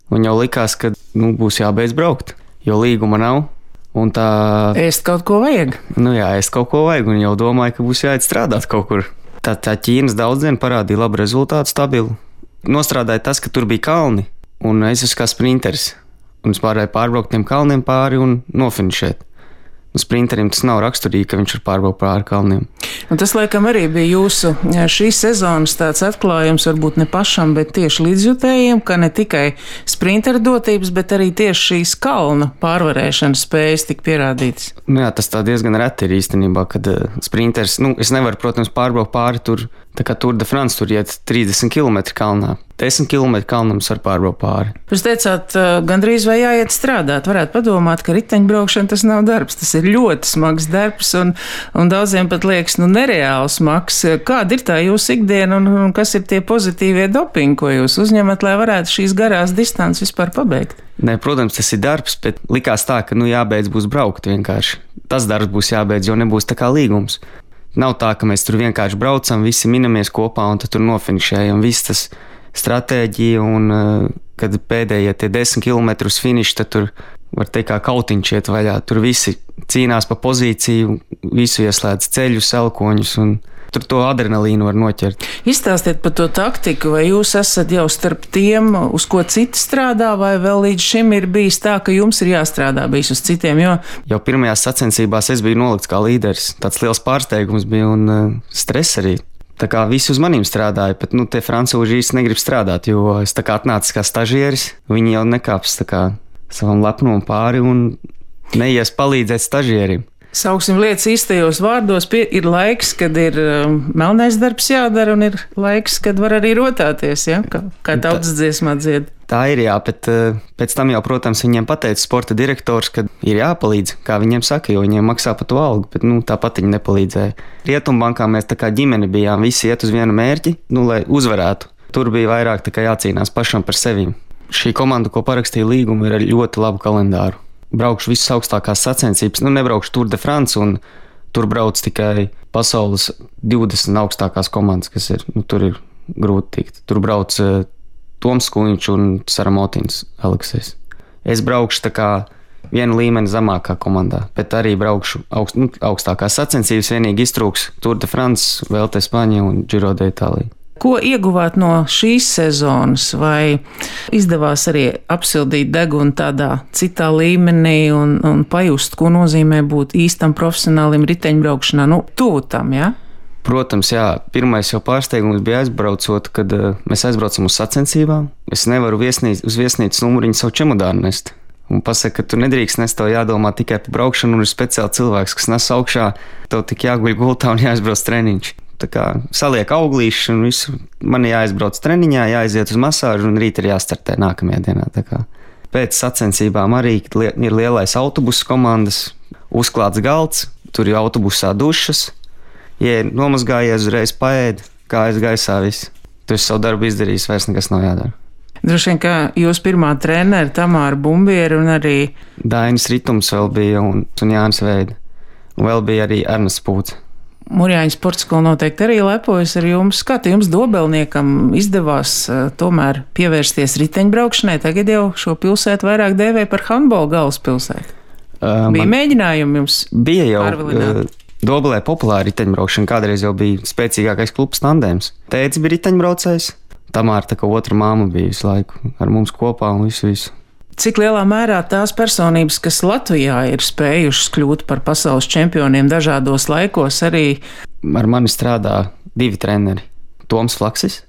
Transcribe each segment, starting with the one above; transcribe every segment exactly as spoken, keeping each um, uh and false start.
Un jau likās, ka nu, būs jābeidz braukt, jo līguma nav. Un tā... Ēst kaut ko vajag. Nu jā, ēst kaut ko vajag, un jau domāju, ka būs jāiet strādāt kaut kur. Tā, tā Ķīnas daudzdiena parādīja labu rezultātu, stabilu. Nostrādāja tas, ka tur bija kalni, un es esmu kā sprinteris. Un es pārēju pārbraukt tiem kalniem pāri un nofinišēt. Un sprinterim tas nav raksturīgi, ka viņš var pārbraukt pāri kalniem. Un tas, laikam, arī bija jūsu šīs sezonas tāds atklājums, varbūt ne pašam, bet tieši līdzjutējiem, ka ne tikai sprinteru dotības, bet arī tieši šīs kalna pārvarēšanas spējas tik pierādītas. Nu jā, tas tā diezgan reti ir īstenībā, kad uh, sprinters, nu, es nevaru, protams, pārbraukt pāri tur, tā kā Tour de France, tur iet trīsdesmit kilometri kalnā. desmit kilometri kalnam var pārbraukt pāri. Jūs teicāt, uh, gandrīz vai jāiet strādāt. Varētu padomāt, ka riteņbraukšana tas nav darbs. Tas ir ļoti smags darbs un, un daudziem pat liekas, nu, nereāli smags. Kāda ir tā jūsu ikdiena un, un kas ir tie pozitīvie dopingi, ko jūs uzņemat, lai varētu šīs garās distances vispār pabeigt? Nē, protams, tas ir darbs, bet likās tā, ka, nu, jābeidz būs braukt vienkārši. Tas darbs būs jābeidz, jo nebūs tā kā līgums. Nav tā, ka mēs tur vienkārši braucam, visi minamies kopā un tad tur nofinišējam. Viss tas stratēģija un, kad pēdējie tie desmit kilometri uz finišu, tad tur var teikt kā kautiņš iet vaļā. Tur visi cīnās pa pozīciju, visu ieslēdz ceļus, elkoņus un tur to adrenalīnu var noķert. Izstāstiet par to taktiku, vai jūs esat jau starp tiem, uz ko citi strādā, vai vēl līdz šim ir bijis tā, ka jums ir jāstrādā bijis uz citiem, jo... Jau pirmajās sacensībās es biju nolikts kā līderis. Tāds liels pārsteigums bija un uh, stress arī. Tā kā visi uz manīm strādāja, bet, nu, tie francūži īsti negrib strādāt, jo es tā kā atnācis kā stažieris, viņi jau nekāps tā kā savam lepnumam pāri un neies palīdzēt stažierim. Sauksim lietas īstajos vārdos, pie, ir laiks, kad ir um, melnais darbs jādara, un ir laiks, kad var arī rotāties, ja? kā, kā tautas dziesmā dzied. Tā ir, jā, bet uh, pēc tam jau, protams, viņiem pateica sporta direktors, ka ir jāpalīdz, kā viņiem saka, jo viņiem maksā par to algu, bet, nu, tāpat viņi nepalīdzēja. Rietumbankā mēs tā kā ģimene bijām, visi iet uz vienu mērķi, nu, lai uzvarētu. Tur bija vairāk tā kā jācīnās pašam par sevi. Šī komanda, ko parakstīja līgumu, ir ar ļoti labu kalendāru. Braukšu visas augstākās sacensības, nu nebraukšu Tour de France, un tur brauc tikai pasaules divdesmit augstākās komandas, kas ir, nu tur ir grūti tikt. Tur brauc uh, Toms Kuņš un Saramotins Aleksejs. Es braukšu tā kā vienu līmeni zemākā komandā, bet arī braukšu augst, nu, augstākās sacensības, vienīgi iztrūks Tour de France, Vuelta España un Giro d'Italia. Ko ieguvāt no šīs sezonas, vai izdevās arī apsildīt degunu tādā citā līmenī un, un pajust, ko nozīmē būt īstam profesionālim riteņbraukšanā, nu, tuvu tam, jā? Ja? Protams, jā. Pirmais jau pārsteigums bija aizbraucot, kad uh, mēs aizbraucam uz sacensībām. Es nevaru viesnīc, uz viesnīcas numuriņu savu čemodānu nest. Un pasaka, ka tu nedrīkst nest, tev jādomā tikai par braukšanu, un ir speciāli cilvēks, kas nes augšā, tev tik jāguļ gultā un jāizbrauc treniņš. Tā kā saliek auglīši un visu. Man jāizbrauc treniņā, jāaiziet uz masāžu un rīt ir jāstartē nākamajā dienā. Tā kā pēc sacensībām arī ir lielais autobusu komandas, uzklāts galds, tur ir autobusā dušas, ja nomazgājies uzreiz paēd, kājas gaisā viss. Tu esi savu darbu izdarījis, vairs nekas nav jādara. Droši vien, ka jūs pirmā treneri Tamāra Bumbiera un arī Dainis Ritums vēl bija un, un Jānis Veida. Un vēl bija arī Ernests Pūts. Murjāņu sporta skola noteikti arī lepojas ar jums. Kā te jums dobelniekam izdevās uh, tomēr pievērsties riteņbraukšanai? Tagad jau šo pilsētu vairāk dēvē par handbola galvaspilsētu. Uh, bija mēģinājumi jums bija jau pārvilināt? Uh, Dobelē populāra riteņbraukšana. Kādreiz jau bija spēcīgākais klubs tandēms. Tētis bija riteņbraucējs. Tamāra tā kā otra māma bija visu laiku ar mums kopā un visu visu. Cik lielā mērā tās personības, kas Latvijā ir spējušas kļūt par pasaules čempioniem dažādos laikos, arī... Ar mani strādā divi treneri. Toms Flaksis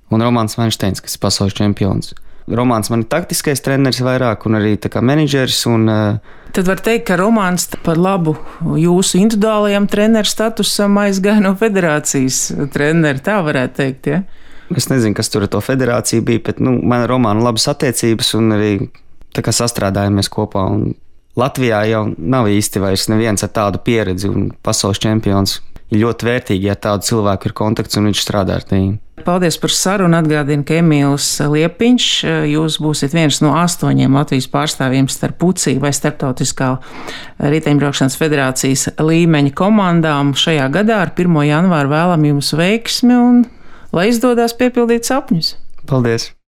un Romāns Vainšteins, kas ir pasaules čempions. Romāns man ir taktiskais treneris vairāk un arī tā kā menedžers. Un, Tad var teikt, ka Romāns par labu jūsu individuālajam treneru statusam aizgāja no federācijas treneri, tā varētu teikt, ja? Es nezinu, kas tur ar to federāciju bija, bet nu, man ar Romānu labas attiecības un arī tā kā sastrādājamies kopā. Un Latvijā jau nav īsti vairs neviens ar tādu pieredzi un pasaules čempions. Ir ļoti vērtīgi, ja tādu cilvēku ir kontakts un viņš strādā ar tiem. Paldies par sarunu. Atgādinu, ka Emīls Liepiņš, jūs būsiet viens no astoņiem Latvijas pārstāvjiem starp U C I vai Starptautiskā riteņbraukšanas federācijas līmeņa komandām. Šajā gadā ar pirmo janvāru vēlam jums veiksmi un lai izdodas piepildīt sapņus. Paldies!